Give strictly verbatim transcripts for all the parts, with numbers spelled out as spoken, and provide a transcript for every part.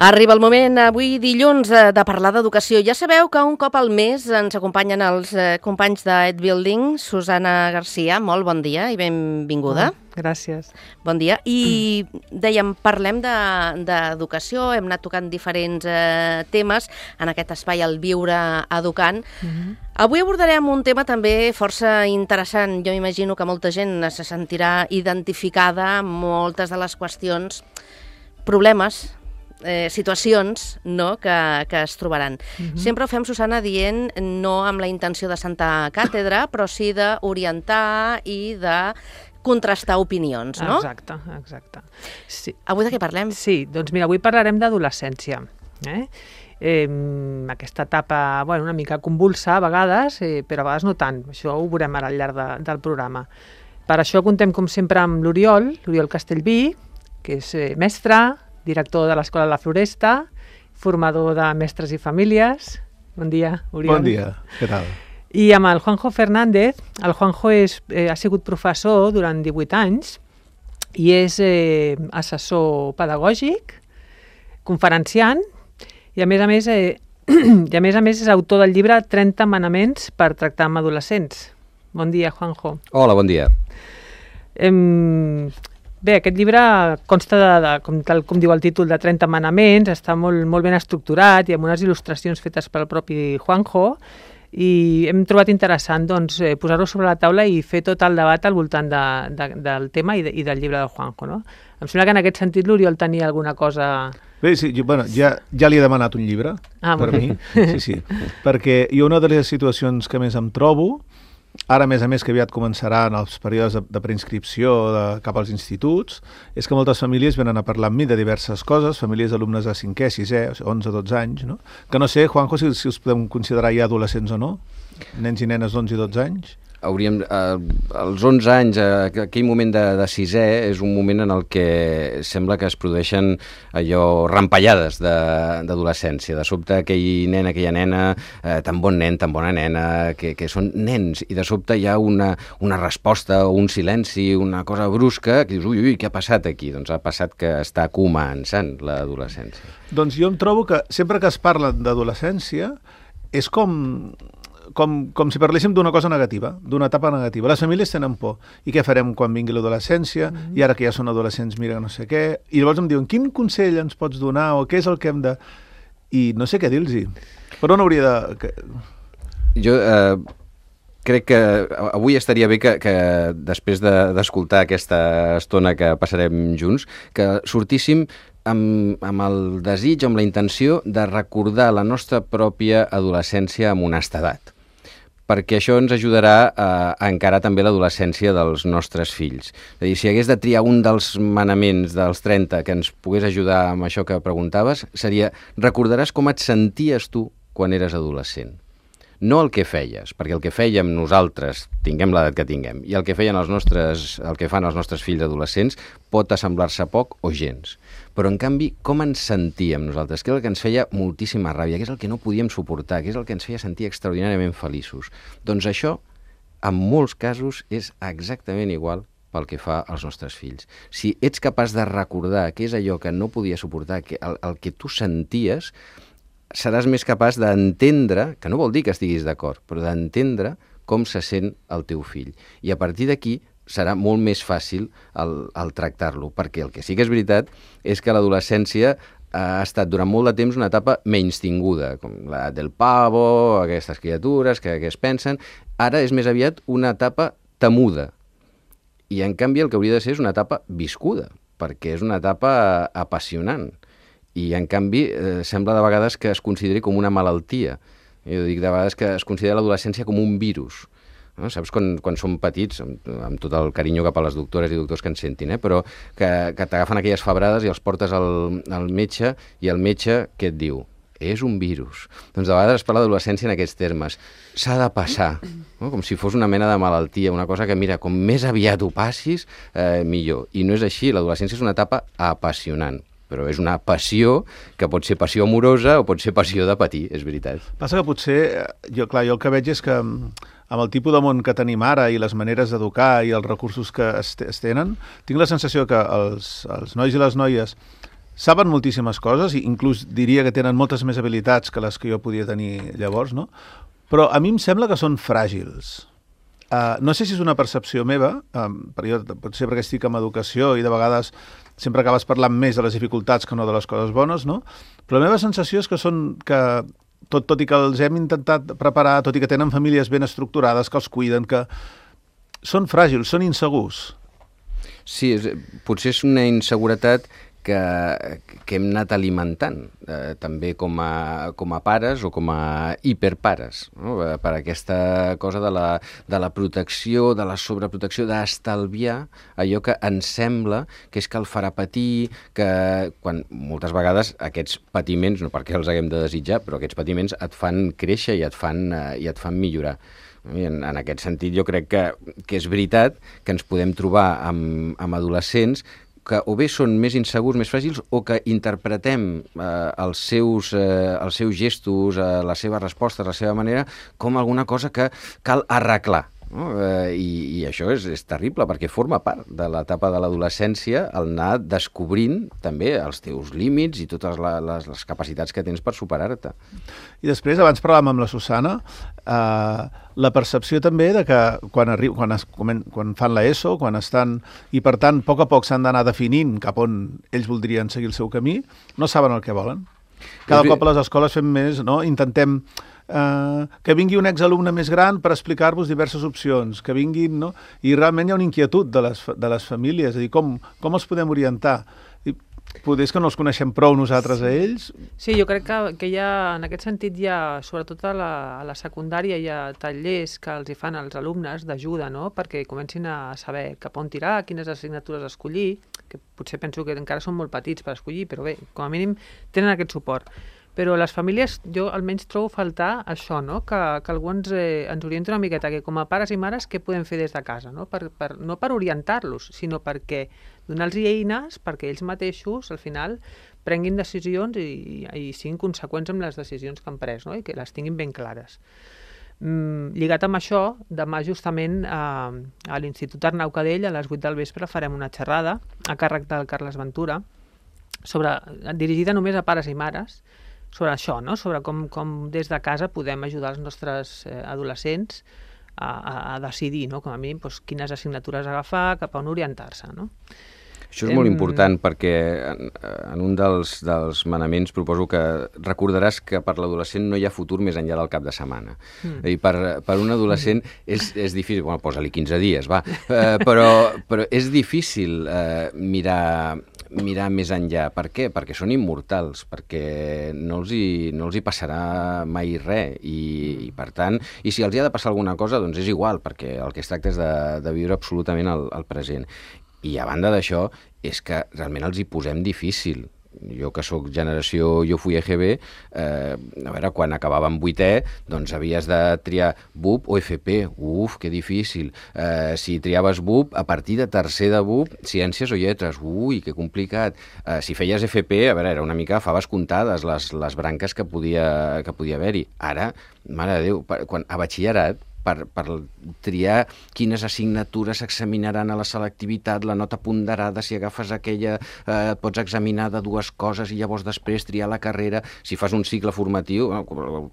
Arriba el moment, avui dilluns, de parlar d'educació. Ja sabeu que un cop al mes ens acompanyen els companys d'Ed Building. Susana Garcia, molt bon dia i benvinguda. Oh, gràcies. Bon dia. I dèiem, parlem d'educació, hem anat tocant diferents eh, temes en aquest espai, el Viure Educant. Uh-huh. Avui abordarem un tema també força interessant. Jo m'imagino que molta gent se sentirà identificada amb moltes de les qüestions, problemes, Eh, situacions no, que, que es trobaran. Uh-huh. Sempre ho fem, Susana, dient no amb la intenció de sentar càtedra, però sí d'orientar i de contrastar opinions, no? Exacte, exacte. Sí. Avui de què parlem? Sí, doncs mira, avui parlarem d'adolescència. Eh? Eh, aquesta etapa, bueno, una mica convulsa a vegades, eh, però a vegades no tant. Això ho veurem ara al llarg de, del programa. Per això contem, com sempre, amb l'Oriol, l'Oriol Castellví, que és eh, mestre, director de l'Escola La Floresta, formador de mestres i famílies. Bon dia, Oriol. Bon dia, què tal? I amb el Juanjo Fernández. El Juanjo és, eh, ha sigut professor durant divuit anys i és eh, assessor pedagògic, conferenciant i a més a més, eh, i a més a més és autor del llibre trenta manaments per tractar amb adolescents. Bon dia, Juanjo. Hola, bon dia. Eh, Bé, aquest llibre consta, de, de, com, tal com diu el títol, de trenta manaments, està molt, molt ben estructurat i amb unes il·lustracions fetes pel propi Juanjo, i hem trobat interessant doncs, eh, posar-ho sobre la taula i fer tot el debat al voltant de, de, del tema i, de, i del llibre del Juanjo. No? Em sembla que en aquest sentit l'Oriol tenia alguna cosa... Bé, sí, jo, bueno, ja, ja li he demanat un llibre, ah, per mi, sí, sí, perquè jo una de les situacions que més em trobo, ara, a més a més, que aviat començaran els períodes de, de preinscripció de, cap als instituts, és que moltes famílies venen a parlar amb mi de diverses coses, famílies d'alumnes de cinquè, sisè, o sigui, onze, dotze anys, no? Que no sé, Juanjo, si, si us podem considerar ja adolescents o no, nens i nenes d'onze i dotze anys. Hauríem, eh, als onze anys, eh, aquell moment de, de sisè és un moment en el que sembla que es produeixen allò rampallades d'adolescència. De, de sobte aquell nen, aquella nena, eh, tan bon nen, tan bona nena, que, que són nens, i de sobte hi ha una, una resposta o un silenci, una cosa brusca, que dius, ui, ui, què ha passat aquí? Doncs ha passat que està començant l'adolescència. Doncs jo em trobo que sempre que es parla d'adolescència és com... Com, com si parléssim d'una cosa negativa, d'una etapa negativa. Les famílies tenen por. I què farem quan vingui l'adolescència? Mm-hmm. I ara que ja són adolescents, mira, no sé què. I llavors em diuen, quin consell ens pots donar? O què és el que hem de... I no sé què dir-los. Per on hauria de... Jo eh, crec que avui estaria bé que, que després d'escoltar de, aquesta estona que passarem junts, que sortíssim amb, amb el desig, amb la intenció de recordar la nostra pròpia adolescència amb honestedat, perquè això ens ajudarà a, a encarar també l'adolescència dels nostres fills. És a dir, si hagués de triar un dels manaments dels trenta que ens pogués ajudar amb això que preguntaves, seria, recordaràs com et senties tu quan eres adolescent. No el que feies, perquè el que fèiem nosaltres, tinguem l'edat que tinguem, i el que feien els nostres, el que fan els nostres fills adolescents pot assemblar-se poc o gens. Però, en canvi, com ens sentíem nosaltres? Què és el que ens feia moltíssima ràbia? Què és el que no podíem suportar? Què és el que ens feia sentir extraordinàriament feliços? Doncs això, en molts casos, és exactament igual pel que fa als nostres fills. Si ets capaç de recordar què és allò que no podia suportar, que el, el que tu senties, seràs més capaç d'entendre, que no vol dir que estiguis d'acord, però d'entendre com se sent el teu fill. I a partir d'aquí serà molt més fàcil el, el tractar-lo, perquè el que sí que és veritat és que l'adolescència ha estat durant molt de temps una etapa menystinguda, com la del pavo, aquestes criatures que, que es pensen. Ara és més aviat una etapa temuda. I, en canvi, el que hauria de ser és una etapa viscuda, perquè és una etapa apassionant. I, en canvi, eh, sembla de vegades que es consideri com una malaltia. Jo dic de vegades que es considera l'adolescència com un virus. No? Saps, quan, quan som petits, amb, amb tot el carinyo cap a les doctores i doctors que ens sentin, eh? però que, que t'agafen aquelles febrades i els portes al, al metge, i el metge què et diu? És un virus. Doncs de vegades es parla d'adolescència en aquests termes. S'ha de passar, no? Com si fos una mena de malaltia, una cosa que, mira, com més aviat ho passis, eh, millor. I no és així, l'adolescència és una etapa apassionant. Però és una passió que pot ser passió amorosa o pot ser passió de patir, és veritat. Passa que potser, jo, clar, jo el que veig és que amb el tipus de món que tenim ara i les maneres d'educar i els recursos que es, es tenen, tinc la sensació que els, els nois i les noies saben moltíssimes coses, i inclús diria que tenen moltes més habilitats que les que jo podia tenir llavors, no? Però a mi em sembla que són fràgils. Uh, no sé si és una percepció meva, um, perquè jo potser perquè estic en educació i de vegades sempre acabes parlant més de les dificultats que no de les coses bones, no? Però la meva sensació és que són que tot, tot i que els hem intentat preparar, tot i que tenen famílies ben estructurades, que els cuiden, que són fràgils, són insegurs. Sí, és, potser és una inseguretat que, que hem anat alimentant, eh, també com a, com a pares o com a hiperpares, no? Per aquesta cosa de la, de la protecció, de la sobreprotecció, d'estalviar allò que ens sembla que és que el farà patir, que quan moltes vegades aquests patiments, no perquè els haguem de desitjar, però aquests patiments et fan créixer i et fan, eh, i et fan millorar. I en, en aquest sentit jo crec que, que és veritat que ens podem trobar amb, amb adolescents que o bé són més insegurs, més fràgils, o que interpretem eh, els, seus, eh, els seus gestos, eh, les seves respostes, la seva manera, com alguna cosa que cal arreglar. No? Eh, i, I això és, és terrible, perquè forma part de l'etapa de l'adolescència el anar descobrint també els teus límits i totes la, les, les capacitats que tens per superar-te. I després, abans parlàvem amb la Susana, eh, la percepció també de que quan, arri... quan, es... quan fan l'ESO, quan estan... i per tant, a poc a poc s'han d'anar definint cap on ells voldrien seguir el seu camí, no saben el que volen. Cada és... cop a les escoles fem més, no? Intentem Uh, que vingui un exalumne més gran per explicar-vos diverses opcions, que vinguin, no? I realment hi ha una inquietud de les, de les famílies, és a dir, com, com els podem orientar? I potser és que no els coneixem prou nosaltres a ells? Sí, jo crec que, que hi ha, en aquest sentit, hi ha, sobretot a la, a la secundària, hi ha tallers que els hi fan als alumnes d'ajuda, no? Perquè comencin a saber cap on tirar, quines assignatures escollir, que potser penso que encara són molt petits per escollir, però bé, com a mínim tenen aquest suport. Però les famílies, jo almenys trobo faltar això, no? Que, que algú ens, eh, ens orienti una miqueta, que com a pares i mares, què podem fer des de casa? No per, per, no per orientar-los, sinó perquè donar-los eines perquè ells mateixos, al final, prenguin decisions i, i siguin conseqüents amb les decisions que han pres, no? I que les tinguin ben clares. Mm, lligat amb això, demà justament a, a l'Institut Arnau Cadell, a les vuit del vespre, farem una xerrada a càrrec del Carles Ventura, sobre, dirigida només a pares i mares, sobre això, no? Sobre com, com des de casa podem ajudar els nostres eh, adolescents a, a, a decidir, no? Com a mínim, doncs, quines assignatures agafar, cap a on orientar-se, no? Això és molt important perquè en, en un dels, dels manaments proposo que recordaràs que per l'adolescent no hi ha futur més enllà del cap de setmana. Mm. I per, per un adolescent és, és difícil, bueno, posa-li quinze dies, va, eh, però, però és difícil eh, mirar... mirar més enllà. Per què? Perquè són immortals, perquè no els hi, no els hi passarà mai res i, i per tant, i si els hi ha de passar alguna cosa, doncs és igual, perquè el que es tracta és de, de viure absolutament el, el present. I a banda d'això, és que realment els hi posem difícil. Jo que sóc generació, jo fui E G B, eh, a veure, quan acabàvem vuitè, doncs havies de triar B U P o F P. Uf, que difícil. Eh, si triaves B U P, a partir de tercer de B U P, ciències o lletres. Ui, que complicat. Eh, si feies F P, a veure, era una mica, faves comptades les, les branques que podia, que podia haver-hi. Ara, mare de Déu, quan, a batxillerat, Per, per triar quines assignatures s'examinaran a la selectivitat, la nota ponderada, si agafes aquella, eh, et pots examinar de dues coses i llavors després triar la carrera. Si fas un cicle formatiu,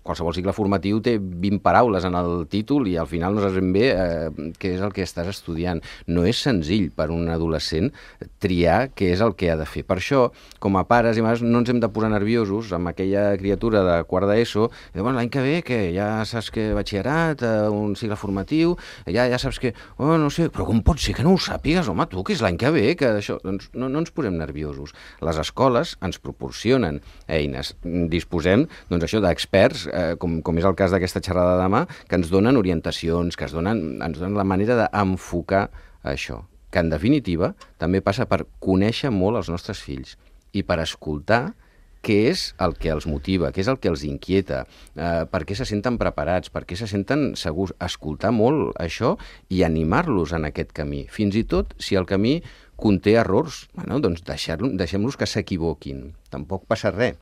qualsevol cicle formatiu té vint paraules en el títol i al final no saps ben bé eh, què és el que estàs estudiant. No és senzill per un adolescent triar què és el que ha de fer. Per això, com a pares i mares, no ens hem de posar nerviosos amb aquella criatura de quart d'ESO, i bueno, l'any que ve, que ja saps que batxillerat, eh, un cicle formatiu, ja ja saps que, oh, no sé, però com pot ser que no ho sàpigues, home, tu, que és l'any que ve, que això... Doncs no, no ens posem nerviosos. Les escoles ens proporcionen eines. Disposem, doncs això, d'experts, eh, com, com és el cas d'aquesta xerrada de demà, que ens donen orientacions, que ens donen, ens donen la manera d'enfocar això, que en definitiva també passa per conèixer molt els nostres fills i per escoltar què és el que els motiva, què és el que els inquieta, eh, per què se senten preparats, per què se senten segurs, escoltar molt això i animar-los en aquest camí. Fins i tot si el camí conté errors, bueno, doncs deixem-los que s'equivoquin, tampoc passa res,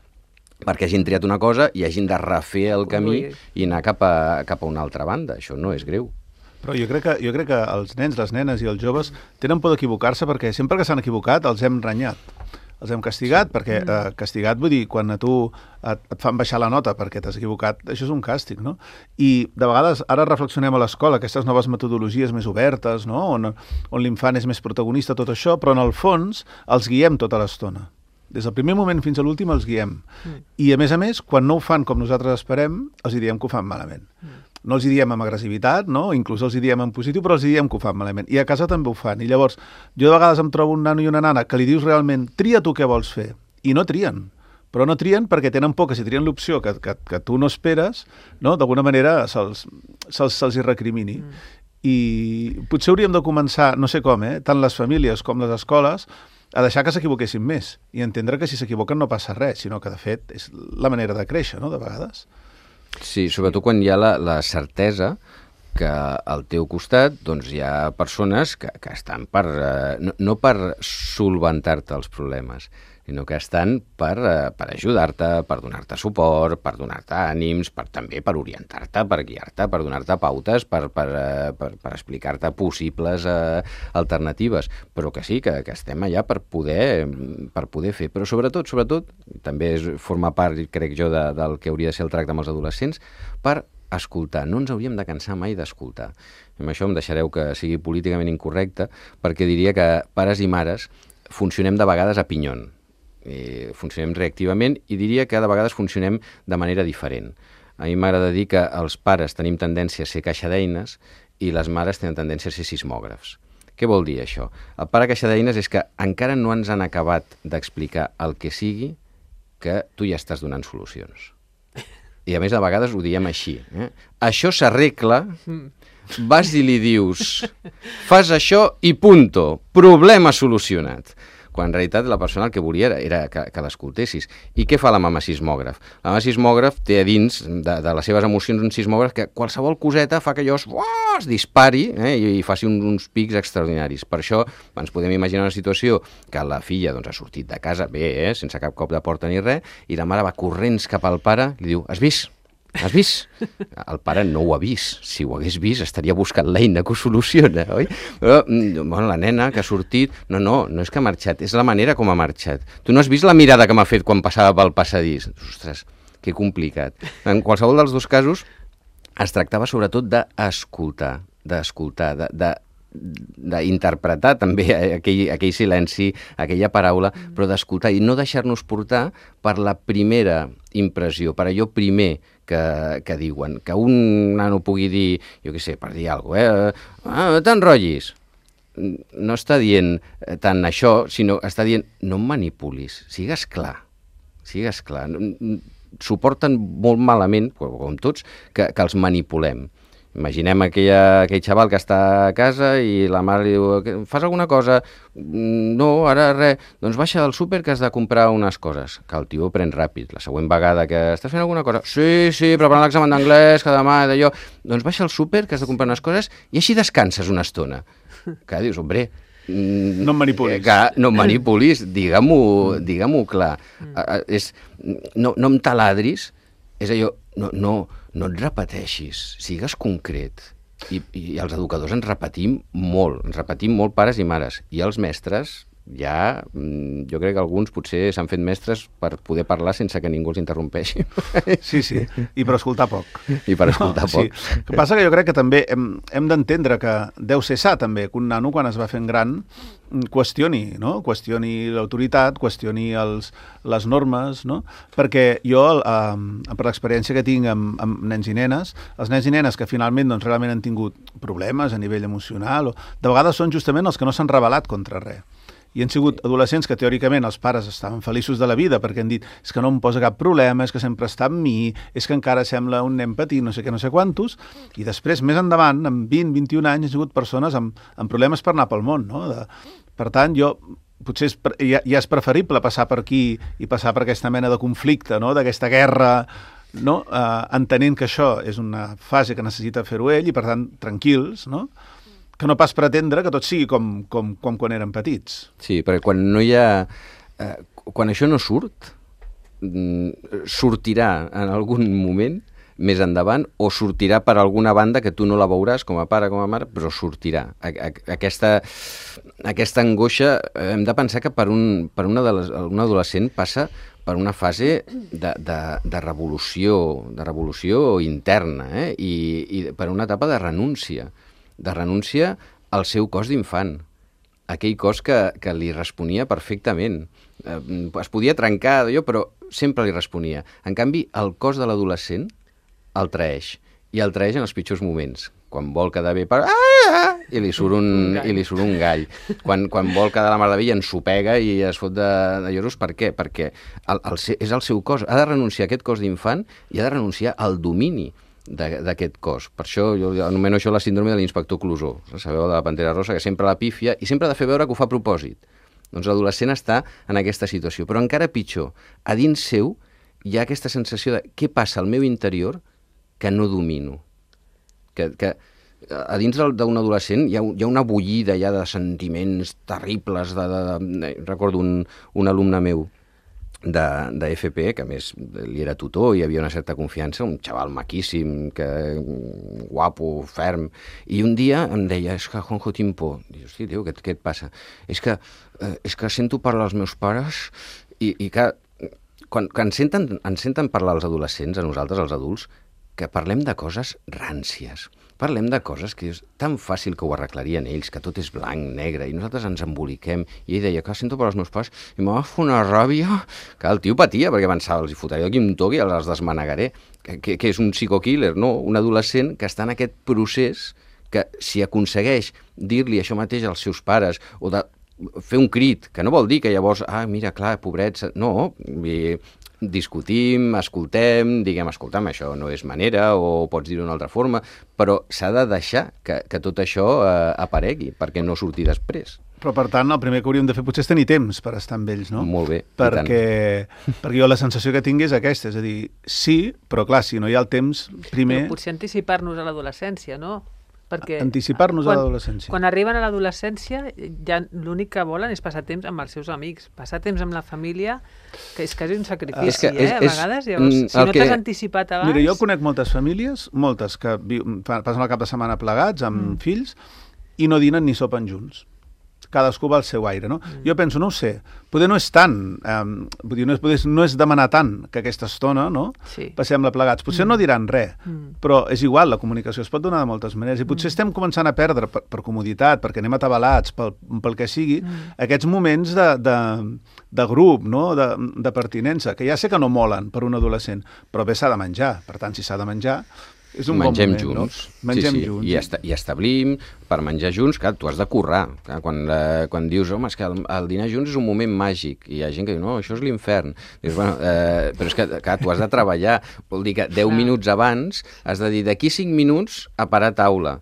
perquè hagin triat una cosa i hagin de refer el camí i anar cap a, cap a una altra banda. Això no és greu. Però jo crec que, jo crec que els nens, les nenes i els joves tenen por d'equivocar-se perquè sempre que s'han equivocat els hem renyat. els hem castigat, perquè eh, castigat vull dir, quan a tu et, et fan baixar la nota perquè t'has equivocat, això és un càstig, no? I de vegades ara reflexionem a l'escola, aquestes noves metodologies més obertes, no? On, on l'infant és més protagonista, tot això, però en el fons els guiem tota l'estona. Des del primer moment fins a l'últim els guiem. Mm. I a més a més, quan no ho fan com nosaltres esperem, els diem que ho fan malament. Mm. No els hi diem amb agressivitat, no? Inclús els hi diem en positiu, però els hi diem que ho fan malament. I a casa també ho fan. I llavors, jo de vegades em trobo un nano i una nana que li dius realment, tria tu què vols fer, i no trien. Però no trien perquè tenen por que si trien l'opció que, que, que tu no esperes, no? D'alguna manera se'ls se se hi recrimini. Mm. I potser hauríem de començar, no sé com, eh? Tant les famílies com les escoles, a deixar que s'equivoquessin més i entendre que si s'equivoquen no passa res, sinó que, de fet, és la manera de créixer, no?, de vegades. Sí, sobretot quan hi ha la, la certesa que al teu costat doncs, hi ha persones que, que estan per, eh, no, no per solventar-te els problemes, sinó que estan per, eh, per ajudar-te, per donar-te suport, per donar-te ànims, per, també per orientar-te, per guiar-te, per donar-te pautes, per, per, eh, per, per explicar-te possibles eh, alternatives, però que sí, que, que estem allà per poder, per poder fer. Però sobretot, sobretot, també és, forma part, crec jo, de, del que hauria de ser el tracte amb els adolescents, per escoltar. No ens hauríem de cansar mai d'escoltar. Amb això em deixareu que sigui políticament incorrecte, perquè diria que pares i mares funcionem de vegades a pinyon. Eh, funcionem reactivament i diria que de vegades funcionem de manera diferent. A mi m'agrada dir que els pares tenim tendència a ser caixa d'eines i les mares tenen tendència a ser sismògrafs. Què vol dir això? El pare caixa d'eines és que encara no ens han acabat d'explicar el que sigui que tu ja estàs donant solucions. I a més, de vegades ho diem així. Eh? Això s'arregla, vas i li dius, fas això i punto, problema solucionat. Quan en realitat la persona el que volia era, era que, que l'escoltessis. I què fa la mama sismògraf? La mama sismògraf té a dins de, de les seves emocions un sismògraf que qualsevol coseta fa que allò es, uah, es dispari eh, i, i faci un, uns pics extraordinaris. Per això ens podem imaginar una situació que la filla doncs, ha sortit de casa bé, eh, sense cap cop de porta ni res, i la mare va corrents cap al pare i li diu, has vist? Has vist? El pare no ho ha vist. Si ho hagués vist, estaria buscant l'eina que ho soluciona, oi? Però, bueno, la nena que ha sortit... No, no, no és que ha marxat, és la manera com ha marxat. Tu no has vist la mirada que m'ha fet quan passava pel passadís? Ostres, que complicat. En qualsevol dels dos casos, es tractava sobretot d'escoltar, d'escoltar, de... de d'interpretar també aquell, aquell silenci, aquella paraula, mm. però d'escoltar i no deixar-nos portar per la primera impressió, per allò primer que, que diuen. Que un nano pugui dir, jo què sé, per dir alguna cosa, eh? Ah, t'enrotllis. No està dient tant això, sinó està dient, no em manipulis, sigues clar, sigues clar. Suporten molt malament, com tots, que, que els manipulem. Imaginem aquella, aquell xaval que està a casa i la mare li diu, fas alguna cosa? No, ara res. Doncs baixa del súper que has de comprar unes coses. Que el tio pren ràpid. La següent vegada que estàs fent alguna cosa? Sí, sí, preparant l'examen d'anglès, que demà, d'allò. Doncs baixa al súper que has de comprar unes coses i així descanses una estona. Que dius, hombre... No em manipulis. Que no em manipulis, digue-m'ho digue-m'ho clar. Mm. És, no, no em taladris, és allò... No, no, no et repeteixis, sigues concret. I, i els educadors ens repetim molt, ens repetim molt pares i mares. I els mestres, ja, jo crec que alguns potser s'han fet mestres per poder parlar sense que ningú els interrompeixi. Sí, sí, i per escoltar poc. I per escoltar no, poc. Sí. El que passa que jo crec que també hem, hem d'entendre que deu ser sa també, que un nano quan es va fent gran qüestioni, no? Qüestioni l'autoritat, qüestioni els, les normes, no? Perquè jo, eh, per l'experiència que tinc amb, amb nens i nenes, els nens i nenes que finalment doncs, realment han tingut problemes a nivell emocional, o, de vegades són justament els que no s'han rebel·lat contra res. I han sigut adolescents que teòricament els pares estaven feliços de la vida perquè han dit és que no em posa cap problema, és que sempre està amb mi, és que encara sembla un nen petit, no sé què, no sé quantos, i després, més endavant, amb vint, vint-i-un anys, han sigut persones amb, amb problemes per anar pel món, no? De, per tant, jo potser és, ja, ja és preferible passar per aquí i passar per aquesta mena de conflicte, no? D'aquesta guerra, no? Uh, entenent que això és una fase que necessita fer-ho ell i, per tant, tranquils, no? Que no pas pretendre que tot sigui com, com, com quan eren petits. Sí, perquè quan no hi ha... Eh, quan això no surt, sortirà en algun moment més endavant, o sortirà per alguna banda que tu no la veuràs com a pare, com a mare, però sortirà. Aquesta, aquesta angoixa, hem de pensar que per, un, per una de les, un adolescent passa per una fase de, de, de revolució, de revolució interna, eh? I, i per una etapa de renúncia, de renúncia al seu cos d'infant, aquell cos que, que li responia perfectament. Eh, es podia trencar, allò, però sempre li responia. En canvi, el cos de l'adolescent el traeix, i el traeix en els pitjors moments. Quan vol quedar bé, per... ah! I li surt un, un i li surt un gall. Quan, quan vol quedar la mar de bé, ensopega i es fot de, de lloros. Per què? Perquè el, el, és el seu cos. Ha de renunciar a aquest cos d'infant i ha de renunciar al domini d'aquest cos. Per això jo anomeno això la síndrome de l'inspector Clouseau. Sabeu, de la Pantera Rosa, que sempre la pífia i sempre ha de fer veure que ho fa a propòsit. Doncs l'adolescent està en aquesta situació. Però encara pitjor, a dins seu hi ha aquesta sensació de què passa al meu interior que no domino. Que, que a dins d'un adolescent hi ha, hi ha una bullida ja de sentiments terribles. De, de, de, recordo un, un alumne meu de, de F P, que a més li era tutor i hi havia una certa confiança, un xaval maquíssim, que, guapo, ferm, i un dia em deia, és que Juanjo tinc por. Dic, hosti, tio, què, què et passa? És que, eh, és que sento parlar als meus pares i, i que quan, quan ens, senten, ens senten parlar als adolescents, a nosaltres, els adults, que parlem de coses ràncies. Parlem de coses que és tan fàcil que ho arreglarien ells, que tot és blanc, negre, i nosaltres ens emboliquem. I ell deia, que sento per als meus pares, i m'ha fet una ràbia, que el tio patia, perquè pensava, els hi fotré aquí un toc i els desmanegaré. Que, que, que és un psico-killer, no? Un adolescent que està en aquest procés que, si aconsegueix dir-li això mateix als seus pares, o de fer un crit, que no vol dir que llavors, ah, mira, clar, pobrets... No, i discutim, escoltem, diguem, escolta'm, això no és manera, o pots dir-ho d'una altra forma, però s'ha de deixar que, que tot això eh, aparegui, perquè no surti després. Però, per tant, el primer que hauríem de fer potser és tenir temps per estar amb ells, no? Molt bé, perquè, perquè jo la sensació que tinc és aquesta, és a dir, sí, però clar, si no hi ha el temps, primer... Però potser anticipar-nos a l'adolescència, no? Perquè anticipar-nos quan, a l'adolescència. Quan arriben a l'adolescència, ja l'únic que volen és passar temps amb els seus amics, passar temps amb la família, que és quasi un sacrifici, és que eh, és, a vegades. Llavors, si no que... t'has anticipat abans... Mira, jo conec moltes famílies, moltes, que viu, passen el cap de setmana plegats amb mm. fills i no dinen ni sopen junts. Cadascú va al seu aire, no? Mm. Jo penso, no ho sé, poder no és tant, eh, vull dir, no és, no és demanar tant que aquesta estona, no? Sí. Passem-la plegats. Potser mm. no diran res, mm. però és igual, la comunicació es pot donar de moltes maneres, i potser mm. estem començant a perdre, per, per comoditat, perquè anem atabalats, pel, pel que sigui, mm. aquests moments de, de, de grup, no? de, de pertinença, que ja sé que no molen per un adolescent, però bé s'ha de menjar, per tant, si s'ha de menjar, és un mengem bon moment, junts. No? Mengem sí, sí. junts. I, esta, I establim, per menjar junts, clar, tu has de currar. Clar, quan, eh, quan dius, home, és que el, el dinar junts és un moment màgic, i hi ha gent que diu, no, això és l'infern. Dius, bueno, eh, però és que, clar, tu has de treballar. Vol dir que deu minuts abans has de dir, d'aquí cinc minuts a parar taula.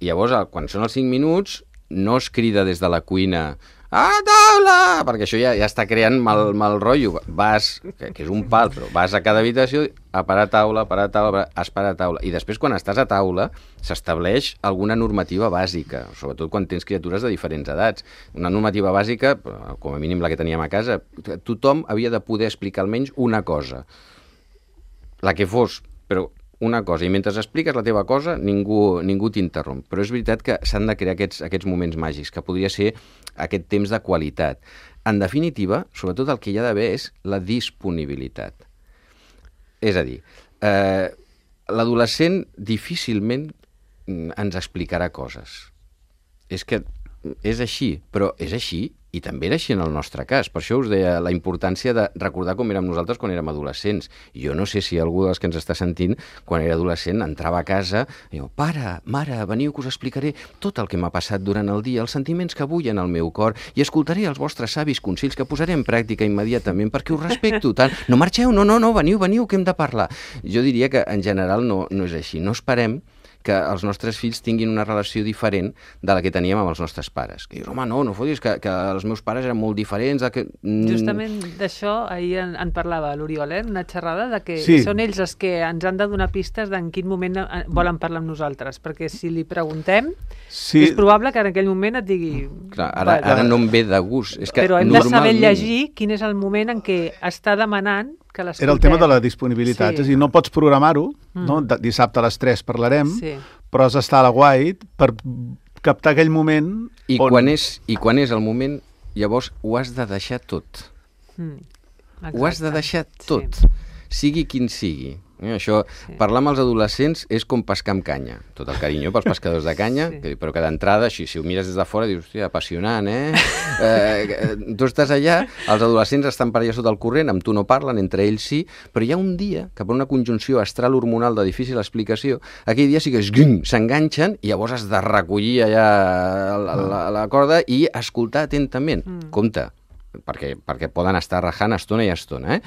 I llavors, quan són els cinc minuts, no es crida des de la cuina, a taula! Perquè això ja, ja està creant mal, mal rotllo. Vas, que, que és un pal, però vas a cada habitació a parar taula, a parar taula, a parar taula. I després, quan estàs a taula, s'estableix alguna normativa bàsica, sobretot quan tens criatures de diferents edats. Una normativa bàsica, com a mínim la que teníem a casa, tothom havia de poder explicar almenys una cosa. La que fos, però una cosa, i mentre expliques la teva cosa, ningú, ningú t'interromp. Però és veritat que s'han de crear aquests, aquests moments màgics, que podria ser aquest temps de qualitat. En definitiva, sobretot el que hi ha d'haver és la disponibilitat. És a dir, eh, l'adolescent difícilment ens explicarà coses. És que és així, però és així i també era així en el nostre cas. Per això us deia la importància de recordar com érem nosaltres quan érem adolescents. Jo no sé si algú dels que ens està sentint, quan era adolescent, entrava a casa i diu, pare, mare, veniu que us explicaré tot el que m'ha passat durant el dia, els sentiments que bullen al meu cor, i escoltaré els vostres savis consells que posaré en pràctica immediatament perquè us respecto tant. No marxeu, no, no, no, veniu, veniu, que hem de parlar. Jo diria que en general no, no és així. No esperem que els nostres fills tinguin una relació diferent de la que teníem amb els nostres pares. Que dius, home, no, no fotis, que, que els meus pares eren molt diferents. Que... Justament d'això ahir en, en parlava l'Oriol, eh? Una xerrada de que sí. Són ells els que ens han de donar pistes d'en quin moment volen parlar amb nosaltres, perquè si li preguntem, sí. És probable que en aquell moment et digui... Clar, ara, ara no em ve de gust. És que però hem normalment... de saber llegir quin és el moment en què està demanant que l'escoltem. Era el tema de la disponibilitat, Sí. és a dir, no pots programar-ho, Mm. no? De- dissabte a les tres parlarem, Sí. però has d'estar a la guait per captar aquell moment I, on... quan és, I quan és el moment, llavors ho has de deixar tot. Mm. Ho has de Exacte. deixar Sí. tot, sigui quin sigui. Eh, això, Sí. parlar amb els adolescents és com pescar amb canya. Tot el carinyo pels pescadors de canya, Sí. sí. però que d'entrada, així, si ho mires des de fora, dius, hòstia, apassionant, eh? eh? Tu estàs allà, els adolescents estan per allà sota el corrent, amb tu no parlen, entre ells sí, però hi ha un dia que per una conjunció astral-hormonal de difícil explicació, aquell dia sí que es gring, s'enganxen i llavors has de recollir allà la, la, la corda i escoltar atentament. Mm. Compte, perquè, perquè poden estar rajant estona i estona, eh?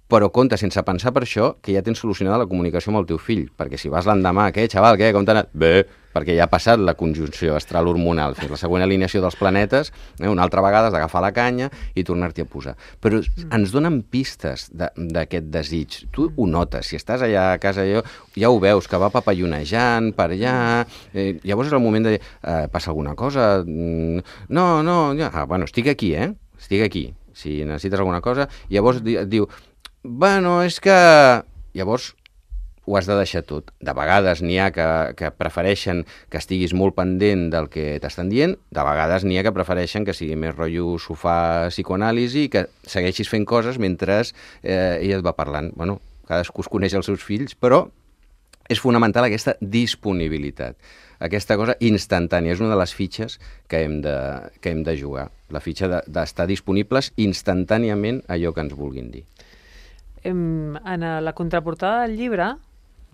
Però compte, sense pensar per això, que ja tens solucionada la comunicació amb el teu fill, perquè si vas l'endemà, què, xaval, què, com t'ha anat? Bé, perquè ja ha passat la conjunció astral hormonal, fins la següent alineació dels planetes, eh, una altra vegada has d'agafar la canya i tornar-t'hi a posar. Però mm. ens donen pistes d'aquest de, desig. Tu ho notes, si estàs allà a casa, allò, ja ho veus, que va papallonejant per allà, eh, llavors és el moment de dir, eh, passa alguna cosa? Mm, no, no, ja. Ah, bueno, estic aquí, eh? Estic aquí. Si necessites alguna cosa, llavors di, et diu, bueno, és que... Llavors ho has de deixar tot. De vegades n'hi ha que, que prefereixen que estiguis molt pendent del que t'estan dient, de vegades n'hi ha que prefereixen que sigui més rotllo sofà psicoanàlisi i que segueixis fent coses mentre eh, ella et va parlant. Bueno, cadascú es coneix els seus fills, però és fonamental aquesta disponibilitat, aquesta cosa instantània. És una de les fitxes que hem de, que hem de jugar, la fitxa d'estar de, disponibles instantàniament a allò que ens vulguin dir. En la contraportada del llibre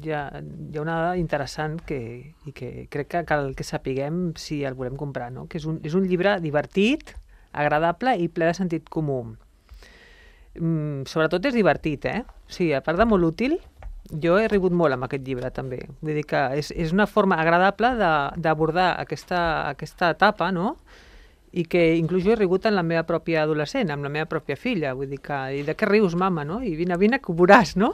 hi ha, hi ha una dada interessant que, i que crec que cal que sapiguem si el volem comprar, no? Que és un, és un llibre divertit, agradable i ple de sentit comú. Mm, sobretot és divertit, eh? Sí, a part de molt útil, jo he rigut molt amb aquest llibre també. Vull dir que és, és una forma agradable d'abordar aquesta, aquesta etapa, no? I que inclús jo he rigut en la meva pròpia adolescent, amb la meva pròpia filla, vull dir que, i de què rius, mama, no? I vine, vine, que ho veuràs, no?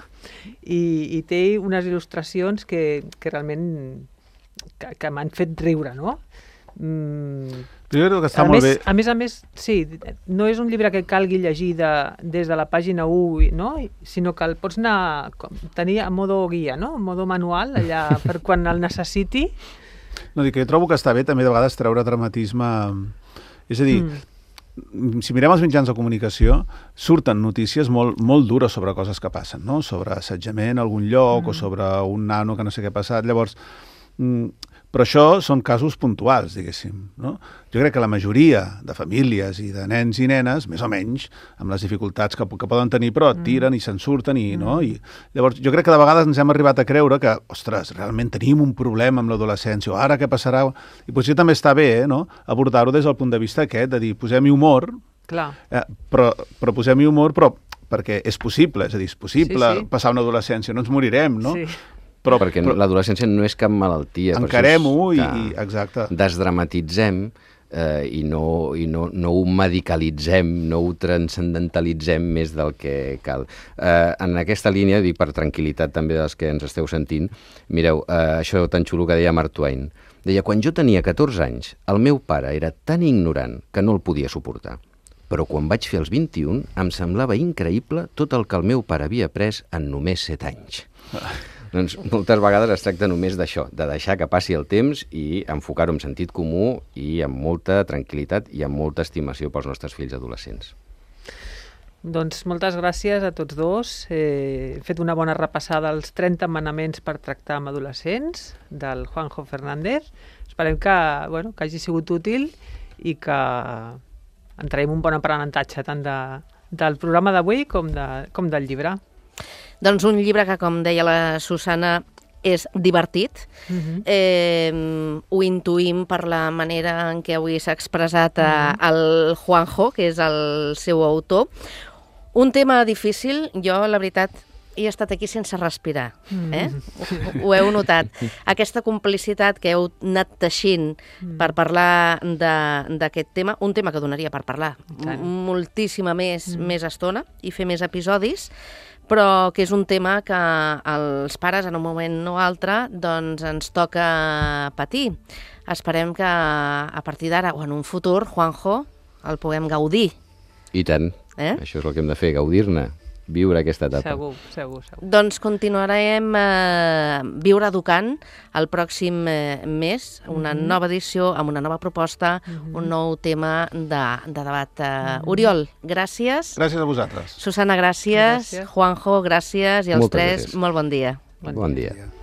I, i té unes il·lustracions que, que realment que, que m'han fet riure, no? Mm. Jo crec que està a molt més, bé. A més a més, sí, no és un llibre que calgui llegir de, des de la pàgina u, no? Sinó que el pots anar, com, tenir a modo guia, no? A modo manual, allà, per quan el necessiti. No, dic que jo trobo que està bé també de vegades treure dramatisme. És a dir, mm. si mirem els mitjans de comunicació, surten notícies molt, molt dures sobre coses que passen, no? Sobre assetjament a algun lloc mm. o sobre un nano que no sé què ha passat. Llavors, mm, però això són casos puntuals, diguéssim, no? Jo crec que la majoria de famílies i de nens i nenes, més o menys, amb les dificultats que, que poden tenir, però tiren i se'n surten i, mm. no? I llavors, jo crec que de vegades ens hem arribat a creure que, ostres, realment tenim un problema amb l'adolescència, o ara què passarà? I potser també està bé, eh, no? Abordar-ho des del punt de vista aquest, de dir, posem-hi humor, Clar. eh, però, però posem-hi humor, però perquè és possible, és a dir, és possible Sí, sí. passar una adolescència, no ens morirem, no? Sí. Però, perquè però, l'adolescència no és cap malaltia. Encarem-ho i, i... Exacte. Desdramatitzem eh, i, no, i no, no ho medicalitzem, no ho transcendentalitzem més del que cal. Eh, en aquesta línia, dic per tranquil·litat també dels que ens esteu sentint, mireu, eh, això tan xulo que deia Mark Twain. Deia, quan jo tenia catorze anys, el meu pare era tan ignorant que no el podia suportar. Però quan vaig fer els vint-i-un, em semblava increïble tot el que el meu pare havia après en només set anys. Doncs moltes vegades es tracta només d'això, de deixar que passi el temps i enfocar-ho amb sentit comú i amb molta tranquil·litat i amb molta estimació pels nostres fills adolescents. Doncs moltes gràcies a tots dos. Eh, he fet una bona repassada als trenta manaments per tractar amb adolescents del Juanjo Fernández. Esperem que, bueno, que hagi sigut útil i que en traiem un bon aprenentatge tant de, del programa d'avui com, de, com del llibre. Doncs un llibre que, com deia la Susana, és divertit. Uh-huh. Eh, ho intuïm per la manera en què avui s'ha expressat uh-huh. el Juanjo, que és el seu autor. Un tema difícil, jo, la veritat, he estat aquí sense respirar. Eh? Ho, ho heu notat. Aquesta complicitat que heu anat teixint per parlar d'aquest tema, un tema que donaria per parlar moltíssima més, mm. més estona i fer més episodis, però que és un tema que els pares en un moment o altre doncs ens toca patir. Esperem que a partir d'ara o en un futur, Juanjo, el puguem gaudir. I tant. Eh? Això és el que hem de fer, gaudir-ne. viure aquesta etapa. Segur, segur, segur. Doncs continuarem eh, Viure Educant el pròxim eh, mes, una Mhm. nova edició amb una nova proposta, Mhm. un nou tema de, de debat. Eh, Oriol, gràcies. Gràcies a vosaltres. Susana, gràcies. Gràcies. Juanjo, gràcies. I els Moltes tres, gràcies. molt bon dia. Bon Bon dia. dia.